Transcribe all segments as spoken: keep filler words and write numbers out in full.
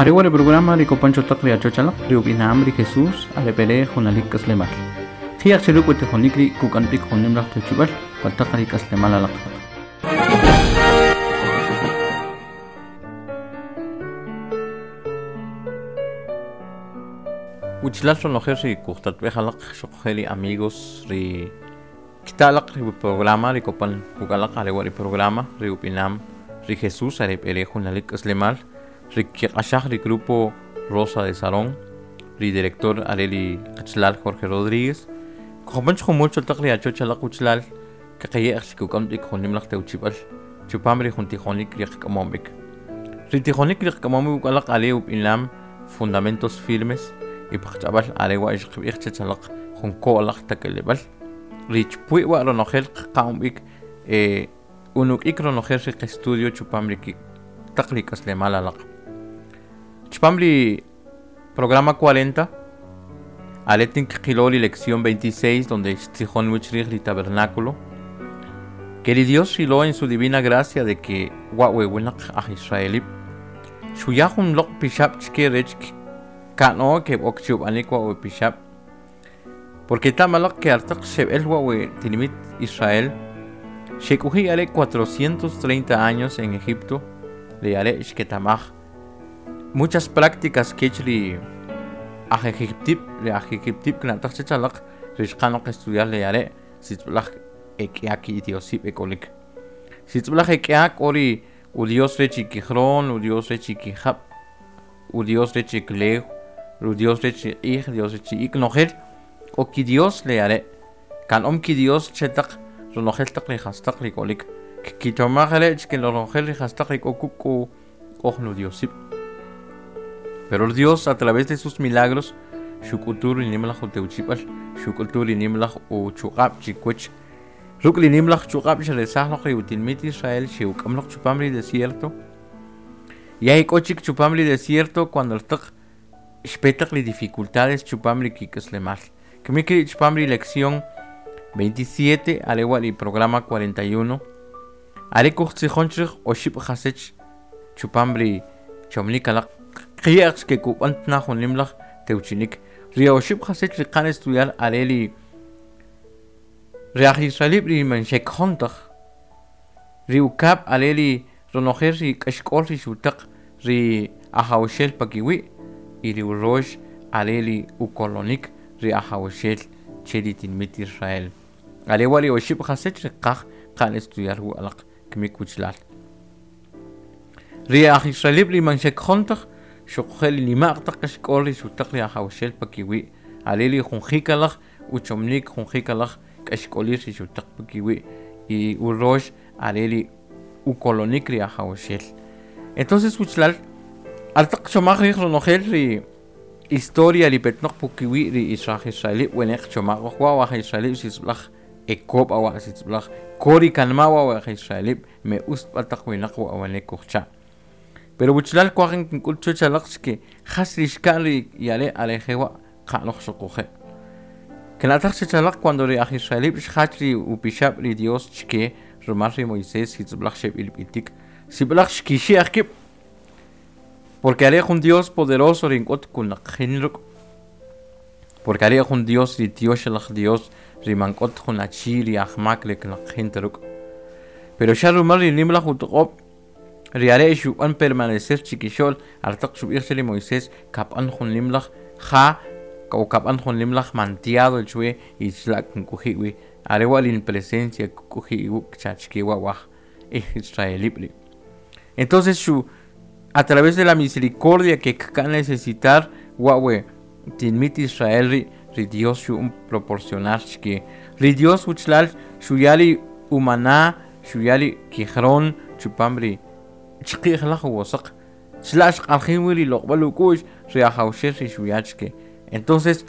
Are wa programa ri kopan chotaq ri achochalaq ri ub'inam ri Jesús are pere junalik k'aslemal. Jiaq chiruk utijonik ri kukanpik junim laj tewchib'al pataq ri k'aslemal alaq. Uchlal ronojer ri kujtatb'ej alaq xoqje ri amigos ri kitalaq ri programa ri kopan kukalaq are wa ri programa ri ub'inam ri Jesús are pere junalik k'aslemal ri kiq'axaj ri grupo Rosa de Sarón ri director are ri qachalal Jorge Rodríguez kopan jumul chotaq ri achochalaq uchlal kaqaye'j xkuk'am b'ik junim laj tewchib'al chupam ri jun tijonik ri qk'amom b'ik ri tijonik ri qk'amom b'ik alaq are ub'inam fundamentos firmes y paqch'ab'al are wa ixqb'ij chachalaq jun ko'laj takeleb'al ri chpwi' wa ronojel qqa'm b'ik eh unuk'ik ronojel ri qestudio chupam ri taq ri k'aslemal alaq chupam ri programa cuarenta are tin qilo ri lección veintiséis donde xtzijon wich riij ri tabernáculo que ri Dios xilo en su divina gracia de que wa we winaq aj israelib xuya jun loq pixab' chke rech ka'no ke b'ok chub'anik wa we pixab' porque tamalaq ke artaq xeb'el wa we tinimit Israel xek'uji are cuatrocientos treinta años en Egipto le are xketamaj muchas prácticas kech ri aj Egiptib le aj Egiptib kna'taj chechalaq ri xqanoq estudiar le are sitz'b'laj ek'ia ki diosib' ek'olik sitz'b'laj ek'ia k'o ri u Dios rech ikijron u Dios rech ikijab' u Dios rech iklew u Dios rech iq'ij Dios rech ik nojel k'o ki Dios le are kan'om ki Dios chetaq ronojel taq ri jastaq ri k'olik kkichomaj are chke ronojel ri jastaq ri k'o kuk k'o k'oj nu Diosib' pero el Dios a través de sus milagros xuk'utu ri nimlaj utewchib'al xuk'utu ri nimlaj uchuq'ab' chikuch ruk' ri nimlaj chuq'ab' xeresaj loq ri utinmit Israel xe'uk'am loq chupam ri desierto y hay k'o chik chupam ri desierto cuando rtaq xpetaq ri dificultades chupam ri kik'aslemal kimik ri chupam ri lección veintisiete are wa ri programa cuarenta y uno are kujtzijon chrij oxib' jasech chupam ri chomnik alaq qiya'q ke kub'an tna jun nimlaj tewchinik ri oxib' jasech ri qan estudiar are ri ri aj israelib' ri man xekjon taj ri ukab' are ri ronojel ri k'axk'ol ri xutaq ri ajawxel pakiwi' y ri urox are ri ukolonik ri ajawxel che ri tinmit Israel are wa ri oxib' jasech ri qaj qan estudiar wu alaq kimik wuchlal ri aj israelib' ri man xekjon taj xuqje' ri nima'q taq k'axk'ol ri xutaq ri ajawxel pakiwi' are ri jun jikalaj uchomnik jun jikalaj k'axk'olir ri xutaq pakiwi' y urox are ri ukolonik ri ajawxel entonces wuchlal altaq chomaj riij ronojel ri historia ri petnoq pukiwi' ri aj israelib' weneq chomaj wa aj israelib' sisb'laj ekob' awa sitz'b'laj kori kanma' wa aj israelib' me us b'ataq winaq wa awanek kujcha' pero wuchlal kuaj kink'ul chuch alaq chke jas ri xka'n ri yare are jewa' qa'loj xuquje' kna'taj chechalaq cuando ri aj israelib' xjach ri upixab' ri Dios chke rumal ri Moisés sitz'b'laj xeb'ilb'itik sib'laj xkixi'aj kib' porque are jun Dios poderoso ri nk'ot kunaqjin ruk' porque are jun Dios ri tioxalaj Dios ri man k'ot jun achi ri ajmak ri knaqjin ta ruk' pero xa rumal ri nimlaj utoq'ob' ri are xub'an permanecer chikixo'l artaq xub'ij che ri Moisés kab'an jun nimlaj ja o kab'an jun nimlaj mantiado chwe y chlak nk'uji' wi are wa rin presencia k'uji' iwuk' chachke wa waj israelib' ri entonces xu a través de la misericordia que kkan necesitar wa we tinmit Israel ri ri Dios xu proporcionar chke ri Dios wuchlal xuya ri umaná xuya ri kijron chupam ri chqi'j laj wosaq chlax q'aljin wi ri loq'b'al uk'u'x ri ajawxel ri xuya chke entonces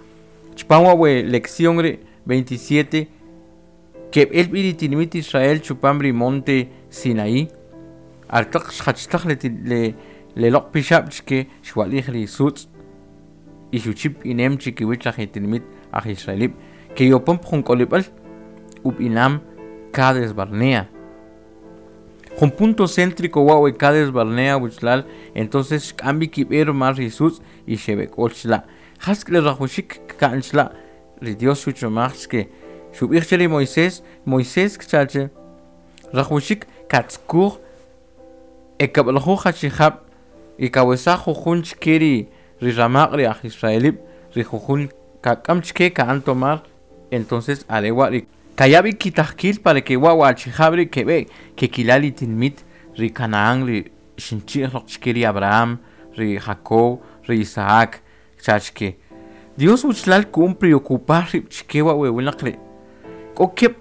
chupam wa we lección ri veintisiete keb'el b'i ri tinmit Israel chupam ri monte Sinaí artaq xjachtaj le le le loq' pixab' chke xwa'lij ri sutz' y xuchip inem chikiwich aj tinmit aj israelib' ke yopon jun k'olib'al ub'inam Cades Barnea Jun punto céntrico wa' we Cades Barnea wuchlaal entonces xk'am b'i kib'e rmal ri sutz' y xeb'ek'ool chla' jas k'ri rajawxik kka'n chla' ri Dios xuchomaj chke xub'iij che ri Moisés Moisés kchache rajawxik ka'tzkuj e kab'ljuj achijab' i kawesaj jujun chke ri ri ramaq' ri aj israelib' ri jujun kak'am chke ka'an tomar entonces are' wa' ri kaya b'ik ki tajkiil para ke wa' wu achijab' ri' keb'eek kekila' ri tinmit ri Canaán ri xinchi'j loq chke ri Abraham ri Jacob ri Isaac kcha chke. Dios wuchlaal ku'an preocupar rib' chke wa' we wnaq ri' k'o keb'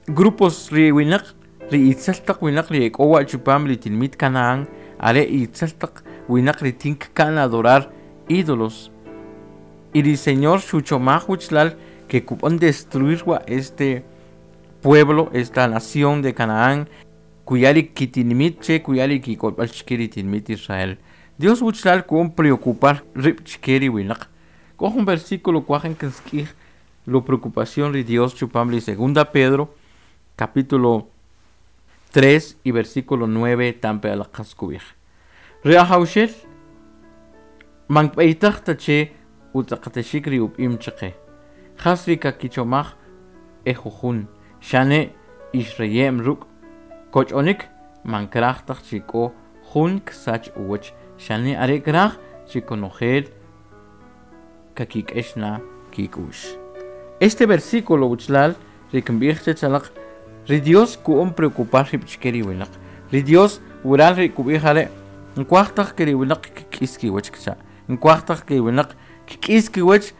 grupos ri winaq ri itzel taq wnaq ri ik'o wa'chupam ri tinmit Canaán are' itzel taq wnaq ri tin kka'n adorar ídolos y ri Señor xuchomaj wuchlaal ke kub'an destruir wa' este pueblo esta nación de Canaán kuya ri kitinmit che kuya ri ki k'olb'al chke ri tinmit Israel. Dios wuchlaal ku'an preocupar rib' chke ri winaq k'o jun versículo kwaj in kinsk'ij lo preocupación ri Dios chupam ri segunda Pedro capítulo tres y versículo nueve tampe alaq qatz kub'ij ri Ajawxel man kb'eytaj ta che utz'aqatxik ri ub'im chqe jas ri kakichomaj e jujun xane ix reye'm ruk' koch'onik man kraj taj chi k'o jun ksach uwach xane are kraj chi konojel kakik'ex na kik'u'x. Este versículo wuchlaal ri kinb'iij chech alaq ri Dios ku'on preocupar rib' chke ri winaq ri Dios wural ri kub'iij are' nkuaj taj ke ri winaq kk'is kiwach kcha' nkuaj taj ke ri winaq kk'is kiwach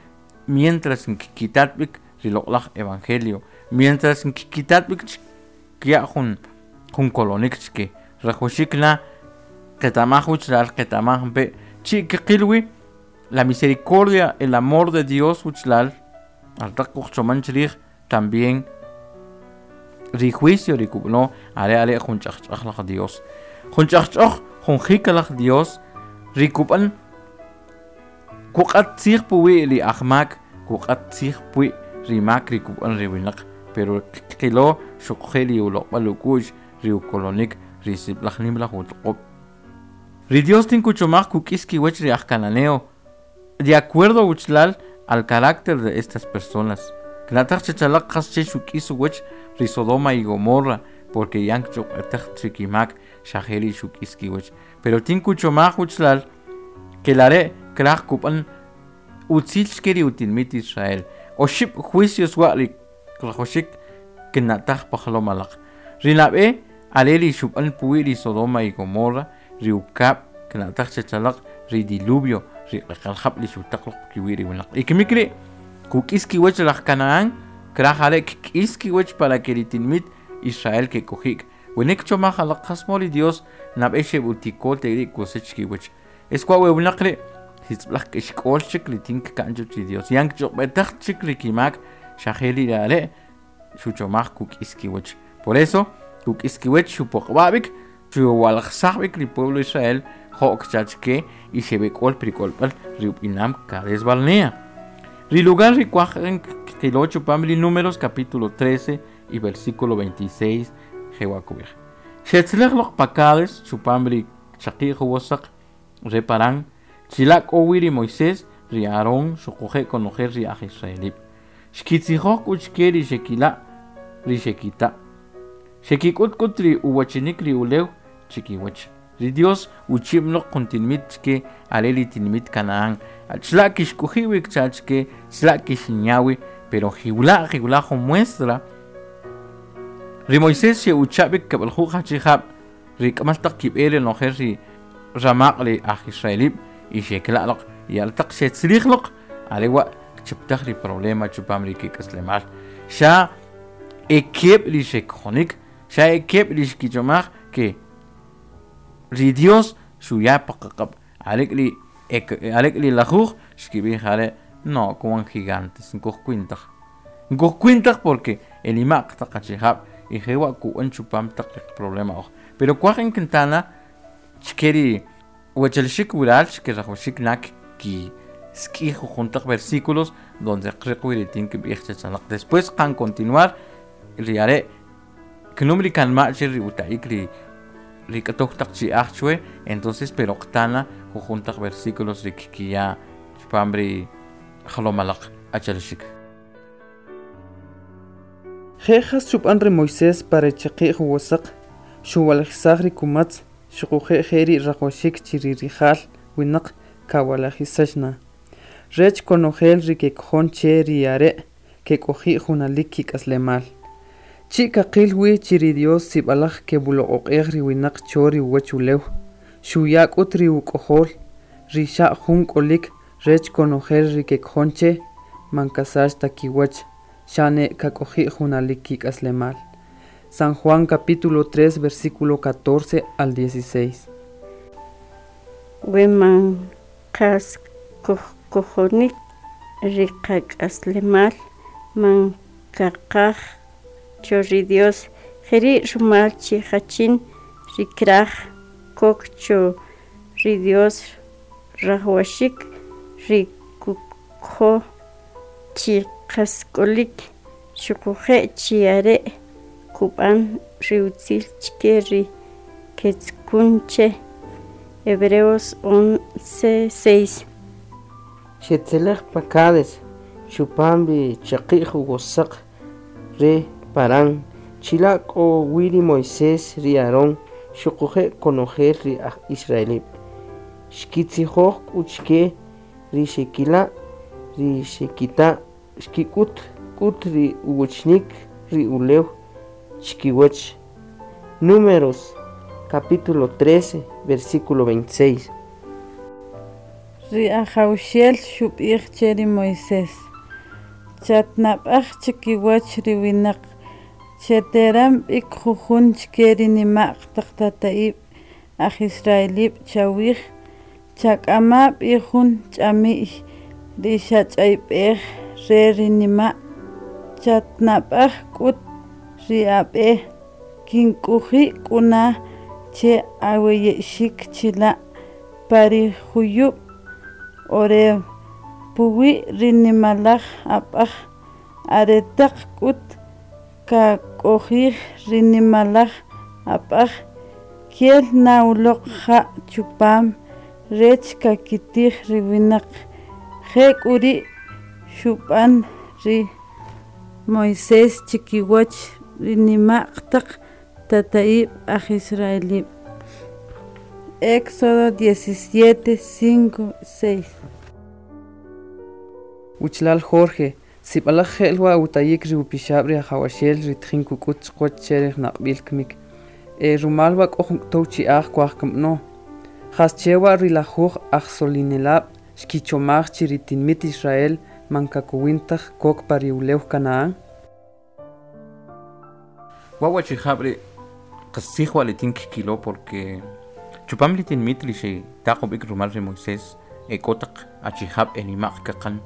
mientras nkitat b'ik ri loq'laj evangelio mientras nkitat b'ik kya' jun jun kolonik chke rajawxik la qeta'maj wuchlaal qeta'maj mpe' chi' kqil wi la misericordia el amor de Dios wuchlaal aretaq kuj chomon chriij tambien ri juicio ri kub'no are are' jun ch'ajch'oj laj Dios jun ch'ajch'oj jun jikalaj Dios ri kub'an kuq'at tziij puwi' ri ajmaak kuq'at tziij pwi' ri maak ri kub'an ri winaq pero qilo xuquje' ri uloq'b'al uk'u'x ri ukolonik ri sib'laj nim laj utoq'ob' ri Dios tin kuchomaj kuk'is kiwach ri aj cananeo de acuerdo wuchlaal al carácter de estas personas kna'taj chech alaq qas che xuk'is uwach ri Sodoma y Gomorra porque ya kch'uqtaj ri kimaak xa jeri' xuk'is kiwach pero tin kuchomaj wuchlaal ke lare' kraj kub'an utzil chke ri utinmit Israel oxib' juicios wa' ri rajawxik kna'taj pjlom alaq ri nab'e are ri xub'an puwi' ri Sodoma y Gomorra ri ukab' kna'taj chech alaq ri diluvio ri q'eqal jab' ri xutaq loq pkiwi' ri wnaq i kmik ri' kuk'is kiwach ri aj Canaán kraj are' kk'is kiwach para ke ri tinmit Israel ke'k'oji'k wene kchomaj alaq qas chemo ri Dios nab'ey xeb'utiko tek'ri' kusach kiwach es wa' wu wnaq ri' sib'laj k'ixk'ol chik ri tin kka'n chuwach ri Dios ya kch'uqb'etaj chik ri kimaak xa jeri' ri are' xuchomaj kuk'is kiwach por eso kuk'is kiwach xupoq'b'ab'ik xuwa'ljsaj b'ik ri pueblo Israel jo'k kcha chke y xeb'ek'ool pri k'olb'al ri ub'inam Cades Barnea. Ri lugar ri kwaj qilo chupam ri Números capítulo trece y versículo veintiséis jewa' kub'ij xetzlej loq pa Cades chupam ri chaqi'j uwo saq re Parán chila' k'o wi ri Moisés ri Aarón xuquje' konojel ri aj israelib' xkitzijoj k'u chke ri xekila' ri xekita' xekik'ut k'ut ri uwachinik ri ulew chikiwach ri Dios uchi'm loq jun tinmit chke are ri tinmit Canaán chla' kixk'oji' wi kcha chke chla' kixinya wi pero jiwla' jiwla' jun muestra ri Moisés xe'ucha' b'ik kab'ljuj achijab' ri k'amal taq kib'e ronojel ri ramaq' ri aj israelib' y xekla' loq y aretaq xetzrij loq are wa' kchuptaj ri problema chupam ri kik'aslemal xa e keb' ri xekjonik xa e keb' ri xkichomaj ke ri Dios xuya pqaq'ab' arek'ri arek'ri lajuj xkib'iij are' no kwan gigantes nkuj kwintaj nkuj kwintaj porque inima'q taq achijab' i jewa' kub'an chupam taq problema uj pero kwaj in kintana chke ri wachelxik wural chke rajawxik na ki sk'ij jujun taq versículos donde qriq wi ri tin kb'iij chech alaq después qan continuar ri are' knum ri kanma' che ri uta'ik ri ri k'otow taq chi'aj chwe entonces pero qtana jujun taq versículos ri kkiya chpam ri jlom alaq achalaxik. Je' jas xub'an ri Moisés pa ri chaqi'j uwosaq, xuwalajisaj ri kumatz, xuquje' je ri' rajwaxik chi ri rija'l winaq kawalajisax na, rech konojel ri kekojon che ri are' kek'oji' junalik kik'aslemal. Chi' kaqil wi chi ri Dios sib'alaj keb'uloq'oq'ej ri winaq cho ri uwach ulew, xuya k'ut ri uk'ojol, ri xa' jun k'olik rech konojel ri kekojon che, man kasach ta kiwach, xane kak'oji' junalik kik'aslemal. San Juan capítulo tres, versículo catorce al dieciséis. We man qas kojkojonik ri qak'aslemal man kaqaj cho ri Dios, jeri' rumal chi jachin ri kraj kok cho ri Dios rajwaxik ri kukojo chi qas k'olik xuquje' chi are' kub'an ri utzil chike ri ketzukun che. Hebreos once seis. Xetzelej pa Cades, chupam ri chaqi'j uwosaq re Parán, chila' k'o wi ri Moisés ri Aarón xuquje' konojel ri aj Israelib'. Xkitzijoj k'u chike ri xekila' ri xekita' xkik'ut k'ut ri uwachnik ri ulew chkiwach. Números capítulo trece, versículo veintiséis. Ri ajawxel xub'ij che ri Moisés, chatnab'aj chikiwach ri winaq, cheteram b'ik jujun chike ri nima'q taq tata'ib' aj Israelib' chawij, chak'ama b'i jun ch'ami'y ri xach'ayb'ej re ri nima', chatnab'aj k'ut ri ab'e, kink'uji' k'una che aweye'xik chila' pa ri juyub' Horeb, puwi' ri nimalaj ab'aj, aretaq k'ut kak'ojij ri nimalaj ab'aj, kel na uloq ja' chupam rech kakitij ri winaq. Je' k'u ri' xub'an ri Moisés chikiwach ri nima'q taq tata'ib' aj Israelib'. Éxodo diecisiete, cinco, seis. Uchlal Jorge, sib'alaj je'l wa utayik ri upixab' ri ajawaxel ri tijin kuk'ut chiqwach che ri naq'b'il kmik. E rumal wa k'o jun k'otow chi'aj kuaj kamb'no. Jas chewa ri lajuj ajsolinelab' xkichomaj chi ri tinmit Israel man kakowin taj kok pa ri ulew Canaán. Wa wachijab' ri qastzij wa li tin kkilo porque chupam li tinmit li xetaq ub'ik rumal ri Moisés e k'o taq achijab' e nima'q kaqan,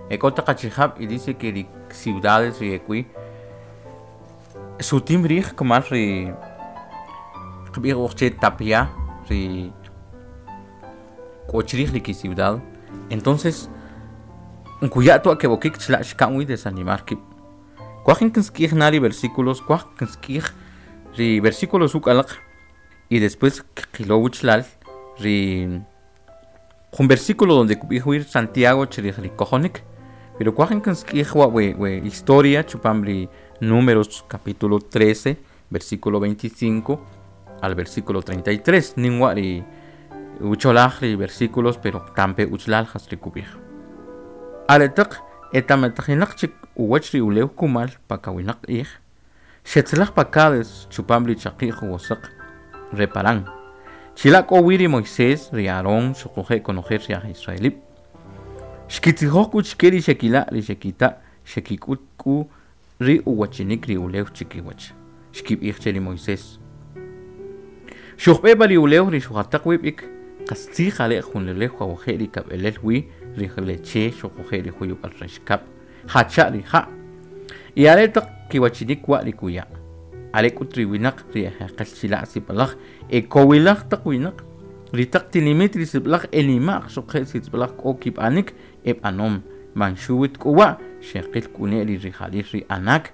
e k'o taq achijab' y dice que ri ciudades ri ek'wi sutim riij kmal ri qb'ij uj che tapia ri k'o chrij ri ki ciudad. Entonces nkuya' twa keb'okik chila' xka'n wi desanimar kib'. Kuaj kinsk'ij na ri versículos, kuaj kinsk'ij ri versículos uk'alaq y después qilo wuchlal ri jun versículo donde kub'ij wi Santiago chrij ri kojonik. Pero kuaj kinsk'ij wa we, we historia chupam ri Números capítulo trece, versículo veinticinco al versículo treinta y tres. Nin wa ri ucholaj ri versículos, pero tampe uchlal jas ri kub'ij. Aretaq etametajinaq chik uwach ri ulew kumal pa kawinaq q'ij, xetzalaj pa Cades chupam ri chaqi'j uwosaq re Parán. Chila' k'o wi ri Moisés, ri Aarón, xuquje' konojel ri aj Israelib'. Xkitzijoj k'u chike ri xekila' ri xekita' xekik'ut k'u ri uwachinik ri ulew chikiwach. Xkib'ij che ri Moisés: Xujb'e pa ri ulew ri xujataq wib' ik, qastzij are' jun ulew jawje' ri kab'elel wi ri leche xuquje' ri juyub'al raxkab', jacha' ri ja'. Y are taq kiwachinik wa ri kuya'. Are k'ut ri winaq ri ejeqel chila' sib'alaj e kowilaj taq winaq, ri taq tinimit ri sib'alaj e nima'q xuquje' sib'alaj k'o kib'anik e b'anom, man xuwit k'u wa' xeqil k'u ne ri rija'lil ri Anak,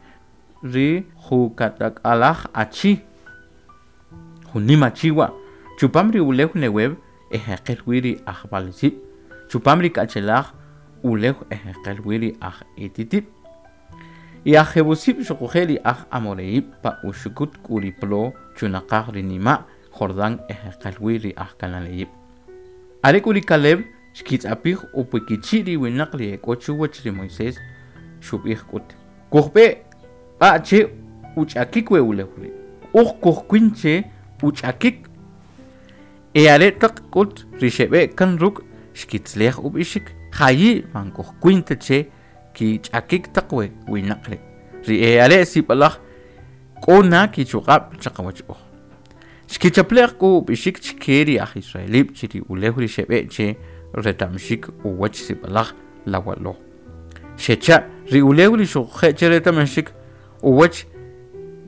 ri jukatak'alaj achi. Jun nim achi wa' chupam ri ulew Neguev e jeqel wi ri aj Balisib' chupam ri k'achelaj ulew e jeqel wi ri aj Hititib' y aj Jebusib' xuquje' ri aj Amoreib' pa uxukut k'u ri plo chunaqaj ri nima' Jordán e jeqel wi ri aj Cananeib'. Are k'u ri Caleb xkitz'apij upikichi' ri winaq ri e k'o chuwach ri Moisés xub'ij k'ut: Kujb'e b'a che uch'akik we ulew ri'. Uj kujkwin che uch'akik. E are taq k'ut ri xeb'e kan ruk' xkitzalej ub'ixik: Jayi' man kujkwin ta che kich'akik taq we winaq ri'. Ri e are' sib'alaj k'o na kichuq'ab' chaqawach oj. Xkichaple'j k'u ub'ixik chke ri aj israelib' chi ri ulew ri xeb'e che reta'mxik uwach sib'alaj lawalo. Xecha' ri ulew ri xuquje' che reta'mxik uwach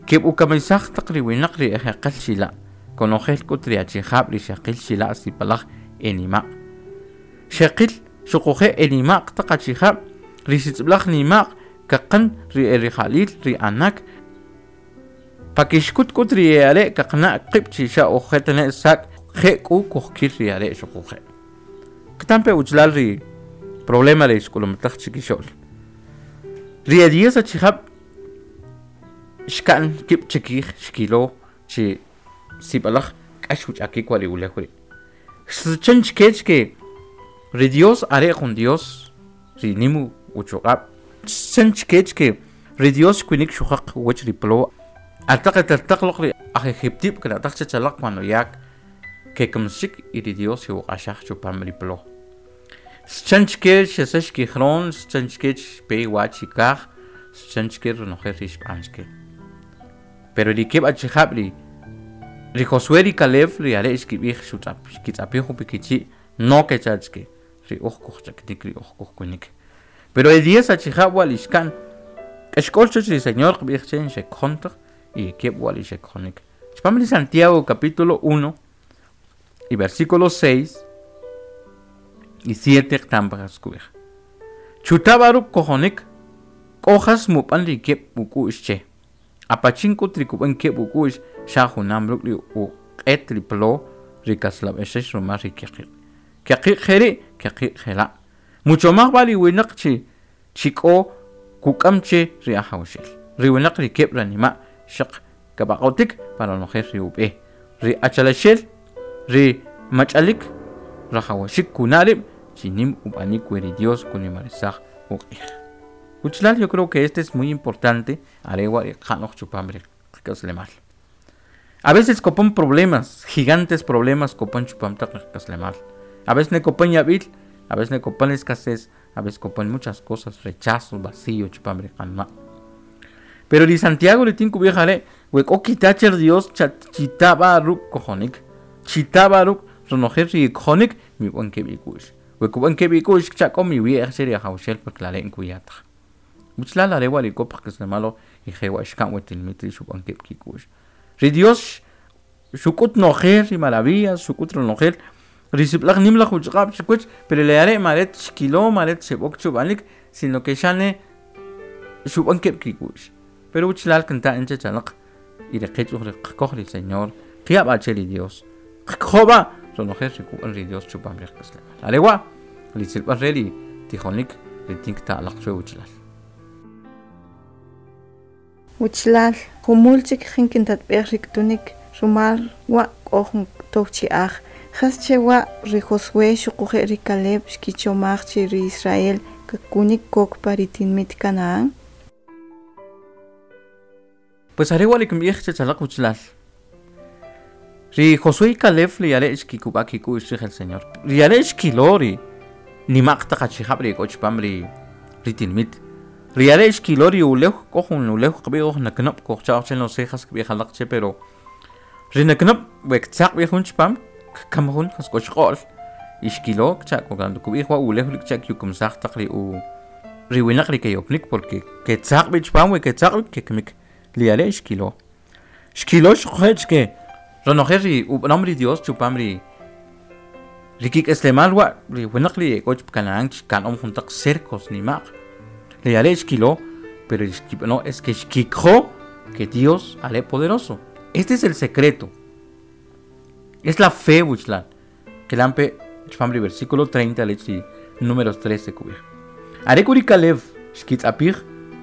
keb'ukamisaj taq ri winaq ri e jeqel chila'. Konojel k'ut ri achijab' ri xeqil chila' sib'alaj e nima'q. Xeqil xuquje' e nima'q taq achijab' ri sitz'b'alaj nima'q kaqan ri e rija'lil ri Anak. Pakixkut k'ut ri e are' kaqana' qib' chi xa oj je' tane' sak' je' k'u kujkil ri are' xuquje'. Qetampe uchlal ri problema ri xk'ulumtaj chikixo'l. Ri e diez achijab' xka'n kib' chikij xkilo chi sib'alaj k'ax uch'akik wa' ri ulew ri'. Xsachan chkech ke ri Dios are jun Dios ri nim uchuq'ab'. Xsachan chkech ke ri Dios xkuinik xujaq uwach ri plo. Ataq etaltaq loq ri aj Egiptib' kna'taj chech alaq cuando ya kekamsik y ri Dios xe'uq'axaj chupam ri plo. Xchan chke xesax kijron, xchan chke xpe wa chikaj, xchan chke ronojel ri xb'an chke. Pero ri keb' achijab' ri ri Josué ri Caleb ri are' xkib'ij xutz'ap xkitz'apij upikichi' no kecha chke ri uj kujch'aktik ri uj kujkunik. Pero e diez achijab' wa' li xka'n k'axk'ol chuwach ri Señor qb'ij che xekjon taj y keb' wa' li xekjonik. Chupam ri Santiago capítulo uno y versículo seis y siete qetam jas kub'ij. Chuta b'a ruk' kojonik k'o jas mub'an ri keb' uk'u'x che. Apachin k'ut ri kub'an keb' uk'u'x xa junam ruk' ri uq'et ri plo ri kaslab'exex rumal ri kyaqiq'. Kyaqiq' jeri', kyaqiq' jela'. Muchomaj b'a ri winaq chi chi k'o kuk'am che ri Ajawxel. Ri winaq ri keb' ranima' xaq kab'aq'otik pa ronojel ri ub'e. Ri achalaxel ri mach'alik rajawaxik kuna' rib' chi nim ub'anik we ri Dios kunimarisaj uq'ij. Uchlal, yo creo que este es muy importante are wa' ri qa'noj chupam ri qak'aslemal. A veces kopan problemas, gigantes problemas kopan chupam taq qak'aslemal. A veces ne kopan yab'il, a veces ne kopan escasez, a veces kopan muchas cosas, rechazo, vacío chupam ri qanma'. Pero ri Santiago ri tin kub'ij are' we k'o kita che ri Dios chita b'a ruk' kojonik, chita b'a ruk' ronojel ri kojonik mib'an keb' ik'u'x. We kub'an keb' ik'u'x cha k'o miwi'ej che ri Ajawxel porque lare' nkuya taj. Uchlal are wa' ri k'o paqk'aslemal y je wa' xka'n we tinimit rii' xub'an keb' kik'u'x. Ri Dios xuk'ut nojel ri maravillas, xuk'ut ronojel ri sib'alaj nim laj uchuq'ab' chikiwach, pero le are' maret xkilo, maret xeb'ok chub'anik, sino que xane xub'an keb' kik'u'x. Pero uchlal kinta in chech alaq y ri qech uj ri qakoj ri Señor, qya b'a che ri Dios. Qakoj b'a ronojel ri kub'an ri Dios chupam ri qak'aslemal. Are wa' ri tzilb'al re ri tijonik ri tinkta alaq chwe uchlal. Wichlal, jumul chik jin kintatb'ej ri k'utunik rumal wa' k'o jun tow chi'aj. Jas che wa' ri Josué xuquje' ri Caleb xkichomaj chi ri Israel kakunik kok pa ri tinmit Canaán? Pues are wa' li kinb'ij chech alaq wichlal. Ri Josué y Caleb ri are' xkikub'a kik'u'x rij el Señor. Ri are' xkilo ri nima'q taq achijab' ri k'o chupam ri ri tinmit. Ri are' xkilo ri ulew k'o jun ulew qb'ij oj naknob' kojcha'oj che no sé jas kb'ij alaq che pero ri naknob' we ktzaq b'i jun chupam kkam jun jas k'o xq'o'l y xkilo kcha' cuando kub'ij wa ulew ri kcha' kyukumsaj taq ri u ri winaq ri keyopnik porque ketzaq b'i chupam we ketzaq b'i kekmik. Ri are' xkilo. Xkilo xuquje' chke ronojel ri ub'anom ri Dios chupam ri ri kik'aslemal wa' ri winaq ri k'o chip Canaán xka'nom jun taq cercos nima'q. Ri are' xkilo, pero xkib'ano es que xkikjo que Dios are poderoso. Este es el secreto. Es la fe wuchlal. Qilampe chpam ri versículo treinta lech ri Números trece kub'ij. Are k'u ri Caleb xkitz'apij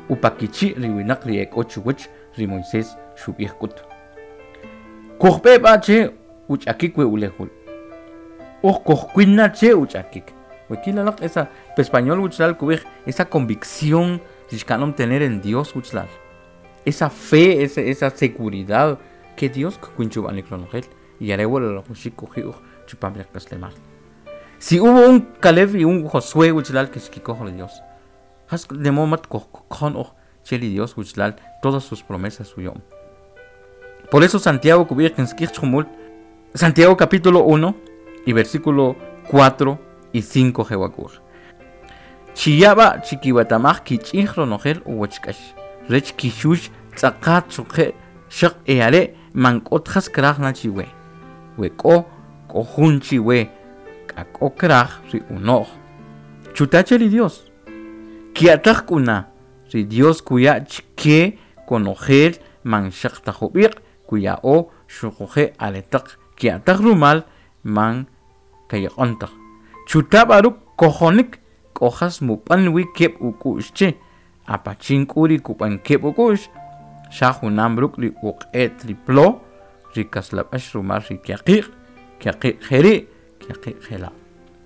upakichi' ri winaq ri e k'o chuwach ri Moisés xub'ij k'ut. Kujb'e b'a che uch'akik we ulew. Uj kujkwin che uch'akik. We kilalaq esa pe español wuchlal kub'ij esa convicción xkanom tener en Dios wuchlal. Esa fe, esa, esa seguridad que Dios kkwin chub'anik ronojel y are wa la rajwaxik kuji uj chupam ri qak'aslemal. Si hubo un Caleb y un Josué wuchlal que xkikoj ri Dios. Jas de modo mat kojkon uj che ri Dios wuchlal todas sus promesas uyom. Por eso Santiago kub'ij kinsk'ij chjumul Santiago capítulo uno y versículo cuatro y cinco jewa kub'ij. Chiyaba chikiwatamaj kich'ij ronojel uwach k'ax rech kixux tz'aqat xuqe' xaq e are' man k'ot jas kraj na chiwe. We k'o k'o jun chiwe k'ak'o kraj ri uno'j. Chuta che ri Dios. Ki'ataj k'una ri Dios kuya' chke konojel man xaq taj jub'iq' kuya'o xuquje' aretaq ki'ataj rumal man kayaq'on taj. Chuta b'a ruk' kojonik k'o jas mub'an wi keb' uk'u'x che apachin k'u ri kub'an keb' uk'u'x xa junam ruk' ri uq'et ri plo ri kaslab'ax rumal ri kiaqiq' kiaqiq' jeri' kiaqiq' jela'.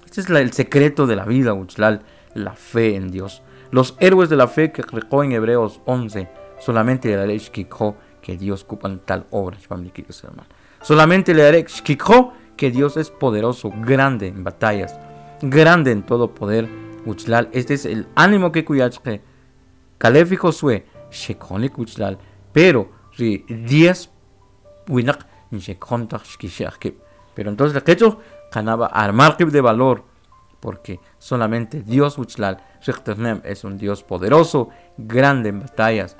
Este es la, el secreto de la vida wuchlal, la fe en Dios. Los héroes de la fe que riqo en Hebreos once solamente le daré xkikjo que Dios kub'an tal obra chpam ri kik'aslemal. Solamente le daré xkikjo que Dios es poderoso, grande en batallas, grande en todo poder wuchlal. Este es el ánimo que kuyachke Caleb y Josué xekjonik wuchlal, pero ri diez winaq nxekjon taj xkixe'j kib'. Pero entonces le qechuj qanaba armar kib' de valor, porque solamente Dios wuchlal riqternem es un Dios poderoso, grande en batallas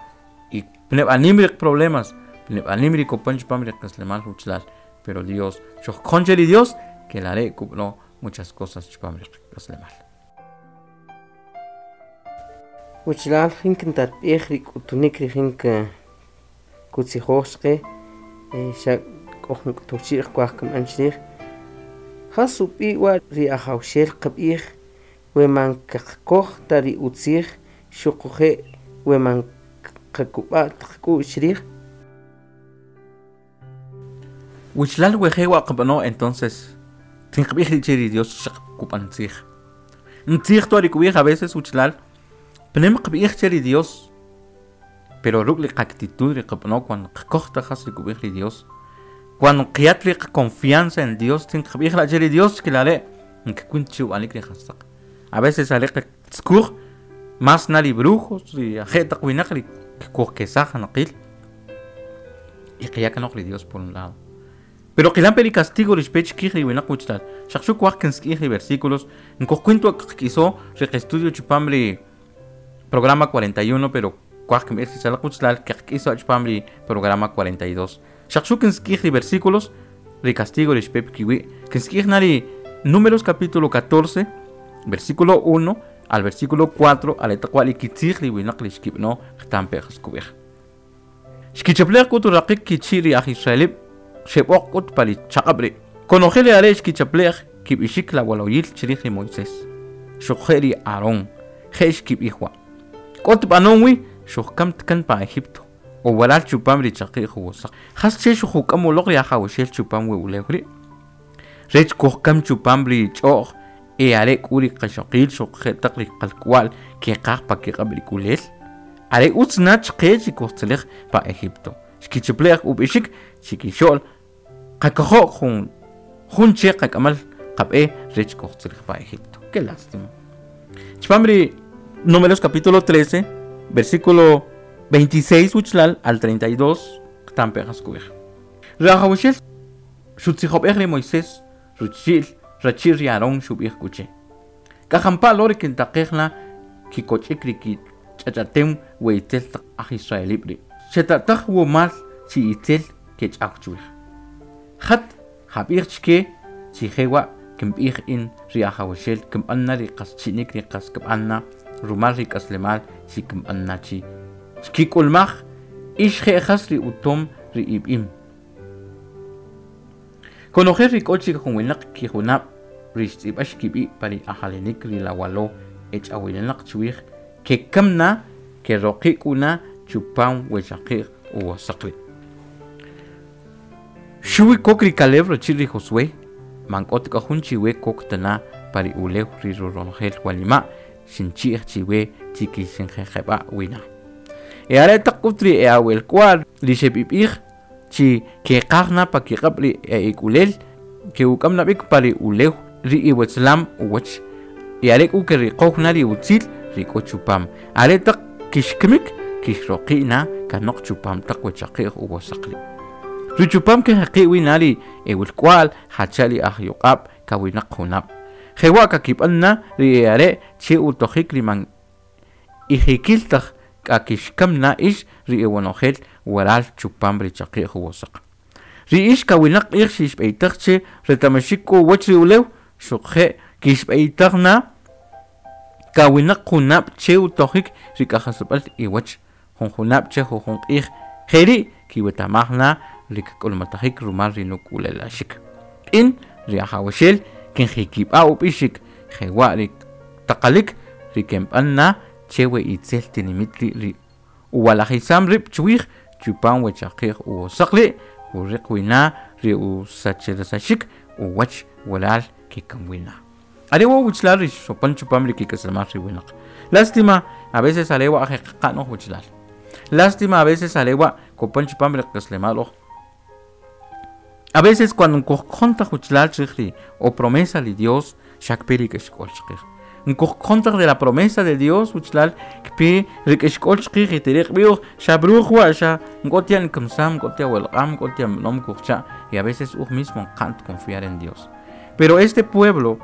y pneb anim ri problemas, pneb anim ri kopan chpam ri k'aslemal wuchlal, pero Dios xojkjon che ri Dios que la are' kub'no muchas cosas chpam ri k'aslemal. Wuchlal jin kintatb'ij ri k'utunik ri jin kutzijoj chqe, eh, xa k'o jun k'utuwchi'j kuaj kib'an chrij. Jas ub'i' wa ri ajawxel qab'ij we man qaqkoj ta ri utzij xuquje' we man qakub'a' taq k'u'x chrij. Wuchlal we je wa qab'ano entonces tinqb'ij ri che ri Dios xaq kub'an tzij. Ntzij to ri kub'ij a veces wuchlal pnem qb'ij che ri Dios, pero ruk' li qactitud ri qab'ano cuando qkoj ta jas ri kub'ij ri Dios, cuando qiyat ri confianza en Dios tinqb'ij la che ri Dios que la are' nkwin chu b'anik ri jastaq. A veces are qtzkuj más na ri brujos ri aje' taq winaq ri kujkesaj naqil y qiyakanoq ri Dios por un lado. Pero qilampe ri castigo ri xpe chkij ri winaq wuchlal. Xaq xu kuaj kinsk'ij ri versículos nkojkwin twa qk'iso ri qestudio chupam ri programa cuarenta y uno, pero kuaj kinb'ij chalaq wuchlal qk'iso chupam ri programa cuarenta y dos. Xaq xu kinsk'ij ri versículos ri castigo ri xpe kiwi'. Kinsk'ij na ri Números capítulo catorce, versículo uno al versículo cuatro, aretaq wa' ri kitzij ri winaq ri xkib'no qtampe jas kub'ij. Xkichaplej k'ut uraqik kichi' ri aj Israelib' xeb'oq k'ut pa ri chaq'ab' ri'. Konojel ri are' xkichaplej kib'ixik la waloyil chrij ri Moisés. Xuquje' ri Aarón je' xkib'ij wa'. K'ot b'anon wi xujkam tkan pa Egipto o waral chupam ri chaqi'j juwosaq. Jas che xujuk'am uloq ri ajawxel chupam we ulew ri'. Rech kujkam chupam ri ch'o'j e are' k'u ri qaxoqil xuquje' taq ri qalk'wa'l keqaj pa kiq'ab' ri k'ulel. Are' utz na chqe chi kujtzalej pa Egipto. Xkichaplej ub'ixik chikixo'l qakojo' jun, jun che qak'amal qab'e rech kujtzalej pa Egipto. Qué lástima. Chpam ri Números capítulo trece, versículo veintiséis wuchlal al treinta y dos, qtampe jas kub'ij. Rajawxel xutzijob'ej ri Moisés ruchil rachil ri Aarón xub'ij k'uche. K'ajampa' lo ri kintaqej na kikoch'ik ri kich'ach'atem we itzel taq aj Israelib' ri'. Xetataq wumal chi itzel kech'aw chuwij. Jat jab'ij chke chi jewa' kinb'ij in ri ajawxel kinb'an na ri qas chi'nik ri qas kib'an na rumal ri k'aslemal chi kinb'an na chi. Xkik'ulmaj ix je' jas ri utom ri ib'im. Konojel ri k'o chik jun winaq kijunab' ri xtz'ib'ax kib'i' pa ri ajalenik ri lawalo e ch'awininaq chuwij kekam na keroqi' k'u na chupam we chaqi'j uwo saq ri'. Xuwi kok ri Caleb rachi'l ri Josué man k'ot k'o jun chiwe kok ta na pa ri ulew ri ronojel wanima' xinchi'j chiwe chi kixinjeqeb'a' wina. E are taq k'ut ri e awalk'wa'l ri xeb'ib'ij chi keqaj na pa kiq'ab' ri e ik'ulel ke'uk'am na b'ik pa ri ulew ri iwetzlam uwach y are k'u keriqow na ri utzil ri k'o chupam are taq kixkimik kixroqi' na kanoq chupam taq we chaqi'j uwo saq ri'. Ri chupam kejeqi' wi na ri ewalk'wa'l jacha' ri ajyuq'ab' kawinaq junab'. Jewa' kakib'an na ri e are' che utojik ri man ijikil taj k'a kixkam na ix ri iwonojel waral chupam ri chaqi'j uwo saq. Ri ix kawinaq q'ij xixb'eytaj che reta'maxik k'u uwach ri ulew xuquje' kixb'eytaj na kawinaq junab' che utojik ri k'ajisab'al iwach jun junab' che jujun q'ij jeri' kiweta'maj na ri kk'ulmatajik rumal ri nuk'ulelaxik. In ri Ajawaxel kinjikib'a' ub'ixik jewa' ri taqalik ri kinb'an na che we itzel tinimit ri' ri uwalajisam rib' chuwij chupam we chaqi'j uwo saq ri' kuriq wi na ri usachirisaxik uwach waral kekam wi na. Are wa' wachalal ri xopan chupam ri kik'aslemal ri winaq. Lástima a veces are wa' je qaqa'n oj wachalal. Lástima a veces are wa' kopan chupam ri qak'aslemal oj. A veces cuando kujkojon taj wachalal chij ri o promesa li Dios xa kpe ri k'axk'ol chqij. Nkujkojon taj de la promesa de Dios wachalal kpe ri k'axk'ol chqij y tiriq b'i uj xa bruj wa' xa nk'ot ya nkamsam nk'ot ya welq'am nk'ot ya b'anom kujcha' y a veces uj mismo qant confiar en Dios. Pero este pueblo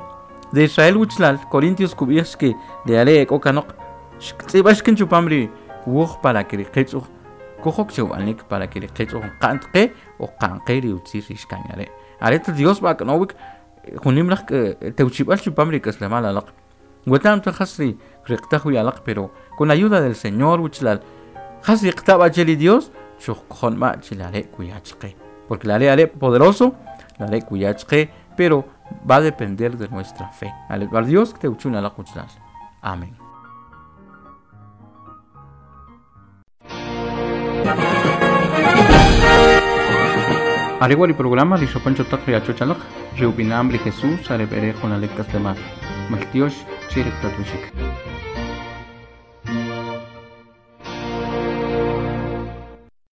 de Israel wachalal Corintios kub'ij que de are k'o kanoq xtz'ib'ax kin chupam ri wuj para que ri qech uj kujok che ub'anik para que ri qech uj qant qe o qan qe ri utzil ri xkan are'. Are Dios b'a k'anowik junim laj tewchib'al chupam ri k'aslemal alaq. Wetam taj jas ri riqtaj wi alaq pero con la ayuda del Señor wachalal jas riqta' che ri Dios xujkojon b'a che la are' kuya chqe porque la are' are' poderoso la are' kuya chqe pero va a depender de nuestra fe. Ale Dios tewchun alaq wachalal. Amén. Are wa' ri programa ri xopan cho taq ri achoch alaq ri ub'inam ri Jesús are b'ere junalik k'aslemal. Maltiox che ri tatb'ixik.